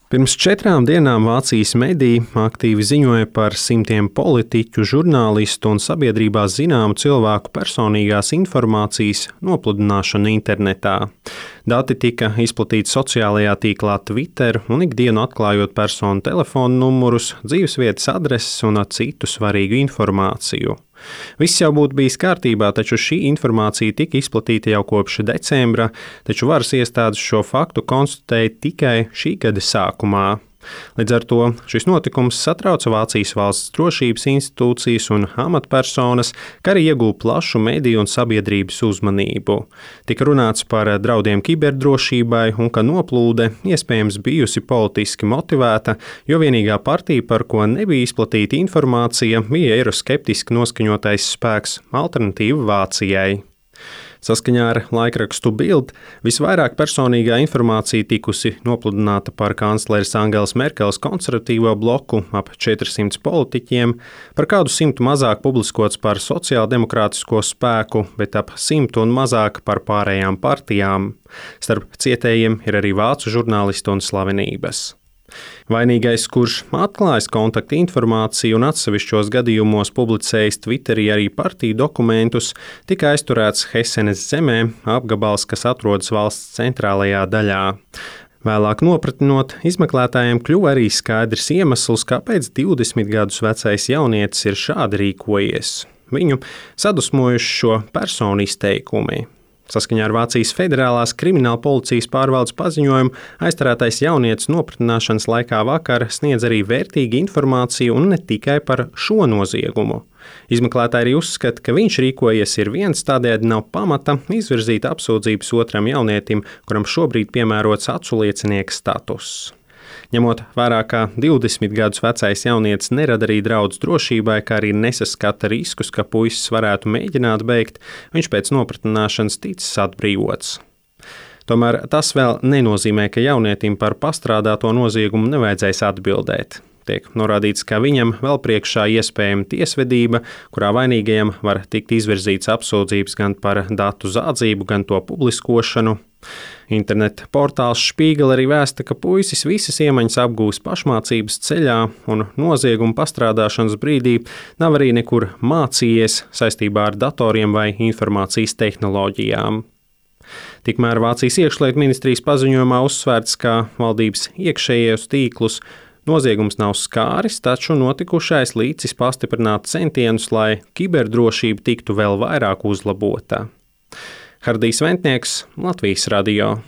Pirms 4 dienām Vācijas mediji aktīvi ziņoja par simtiem politiķu, žurnālistu un sabiedrībā zināmu cilvēku personīgās informācijas nopludināšanu internetā. Dati tika izplatīti sociālajā tīklā Twitter un ikdienu atklājot personu telefonu numurus, dzīvesvietas adreses un citu svarīgu informāciju. Viss jau būtu bijis kārtībā, taču šī informācija tika izplatīta jau kopš decembra, taču varas iestādes šo faktu konstatēja tikai šī gada sākumā. Līdz ar to šis notikums satrauca Vācijas valsts drošības institūcijas un amatpersonas, kā arī ieguva plašu mediju un sabiedrības uzmanību. Tika runāts par draudiem kiberdrošībai un ka noplūde iespējams bijusi politiski motivēta, jo vienīgā partija, par ko nebija izplatīta informācija, bija eiroskeptiski noskaņotais spēks Alternatīva Vācijai. Saskaņā ar laikrakstu Bild visvairāk personīgā informācija tikusi nopludināta par kancleres Angelas Merkeles konservatīvo bloku ap 400 politiķiem, par kādu 100 mazāk publiskots par sociāldemokrātisko spēku, bet ap 100 un mazāk par pārējām partijām. Starp cietējiem ir arī vācu žurnālisti un slavenības. Vainīgais, kurš atklājis kontaktu informāciju un atsevišķos gadījumos publicējis Twitterī arī partiju dokumentus, tika aizturēts Hesenes zemē, apgabals, kas atrodas valsts centrālajā daļā. Vēlāk nopratinot, izmeklētājiem kļuva arī skaidrs iemesls, kāpēc 20 gadus vecais jaunietis ir šādi rīkojies. Viņu sadusmojuši šo personu izteikumi. Saskaņā ar Vācijas Federālās krimināla policijas pārvaldes paziņojumu, aizturētais jaunietis nopratināšanas laikā vakar sniedz arī vērtīgu informāciju un ne tikai par šo noziegumu. Izmeklētāji arī uzskata, ka viņš rīkojies ir viens, tādējādi nav pamata izvirzīt apsūdzības otram jaunietim, kuram šobrīd piemērots aculiecinieka status. Ņemot vērā, ka 20 gadus vecais jaunietis nerada arī draudus drošībai, kā arī nesaskata riskus, ka puisis varētu mēģināt bēgt, viņš pēc nopratināšanas ticis atbrīvots. Tomēr tas vēl nenozīmē, ka jaunietim par pastrādāto noziegumu nevajadzēs atbildēt. Tiek norādīts, ka viņam vēl priekšā iespējama tiesvedība, kurā vainīgajam var tikt izvirzīts apsūdzības gan par datu zādzību, gan to publiskošanu. Interneta portāls Spiegel arī vēsta, ka puisis visas iemaņas apgūs pašmācības ceļā un nozieguma pastrādāšanas brīdī nav arī nekur mācījies saistībā ar datoriem vai informācijas tehnoloģijām. Tikmēr Vācijas iekšlietu ministrijas paziņojumā uzsvērts, ka valdības iekšējos tīklus noziegums nav skāris, taču notikušais līdzis pastiprināt centienus, lai kiberdrošība tiktu vēl vairāk uzlabota. Hardijs Ventnieks, Latvijas radio.